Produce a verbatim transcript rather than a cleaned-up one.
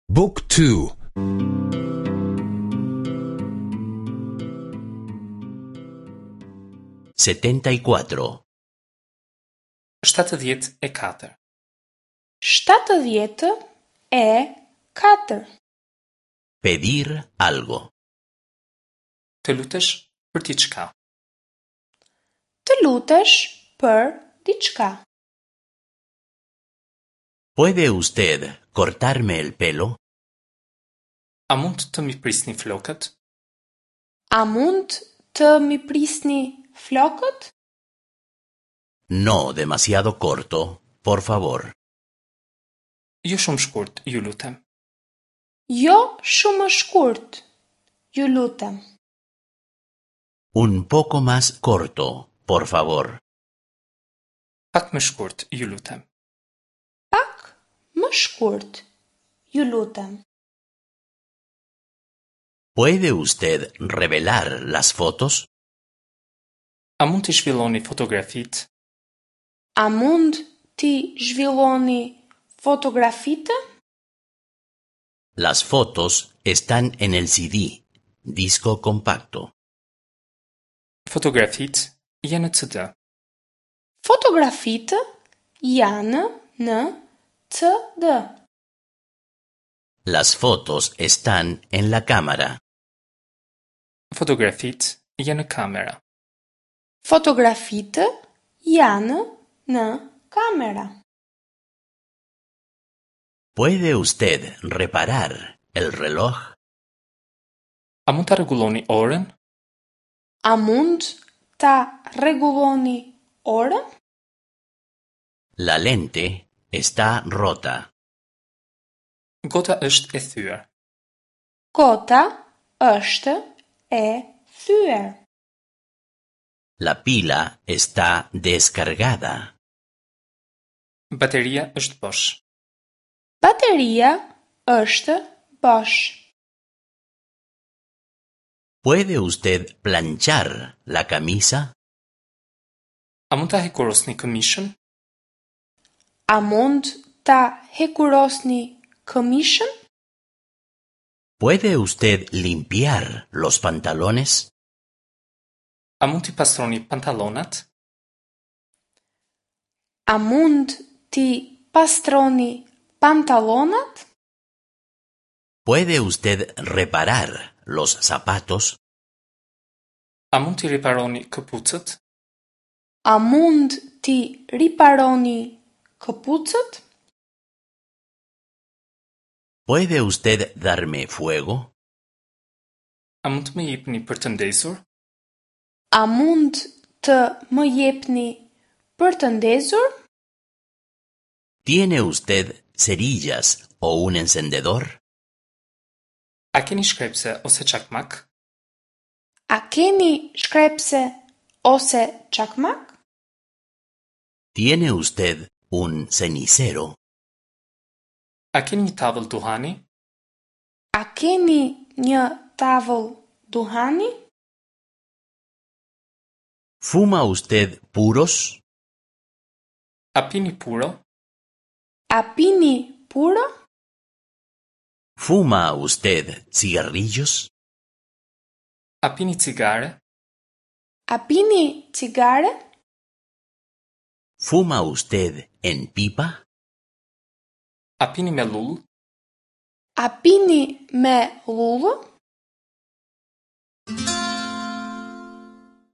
Book two. Setenta y cuatro. Shtatëdhjetë e katër. Shtatëdhjetë e katër. Pedir algo. Të lutesh për diçka. Të lutesh për diçka. ¿Puede usted cortarme el pelo? A mund të m'i prisni flokët? A mund të m'i prisni flokët? No demasiado corto, por favor. Jo shumë shkurt, ju lutem. Jo shumë shkurt, ju lutem. Un poco más corto, por favor. Pak më shkurt, ju lutem. Pak më shkurt, ju lutem. ¿Puede usted revelar las fotos? A mund t'i zhvilloni fotografitë? A mund t'i zhvilloni fotografitë? Las fotos están en el C D, disco compacto. Fotografitë janë në C D. Fotografitë janë në C D. Las fotos están en la cámara. Fotografitë janë në kamera. Fotografitë janë në kamera. ¿Puede usted reparar el reloj? A mund ta rregulloni orën? A mund ta rregulloni orën? La lente está rota. Gota është e thyer. Gota është e thyer. La pila está descargada. Bateria është bosh. Bateria është bosh. ¿Puede usted planchar la camisa? A mund ta hekurosni këmishën? A mund ta hekurosni këmishën? ¿Puede usted limpiar los pantalones? A mund t'i pastroni pantallonat? A mund t'i pastroni pantallonat? ¿Puede usted reparar los zapatos? A mund t'i riparoni këpucët? A mund t'i riparoni këpucët? ¿Puede usted darme fuego? A mund të më jepni për të ndezur? A mund të më jepni për të ndezur? ¿Tiene usted cerillas o un encendedor? A keni shkrepse ose çakmak? A keni shkrepse ose çakmak? ¿Tiene usted un cenicero? A keni një tavëll duhani? A keni një tavëll duhani? ¿Fuma usted puros? A pini puro? A pini puro? ¿Fuma usted cigarrillos? A pini cigare? A pini cigare? ¿Fuma usted en pipa? A pini me llullë? A pini me llullë?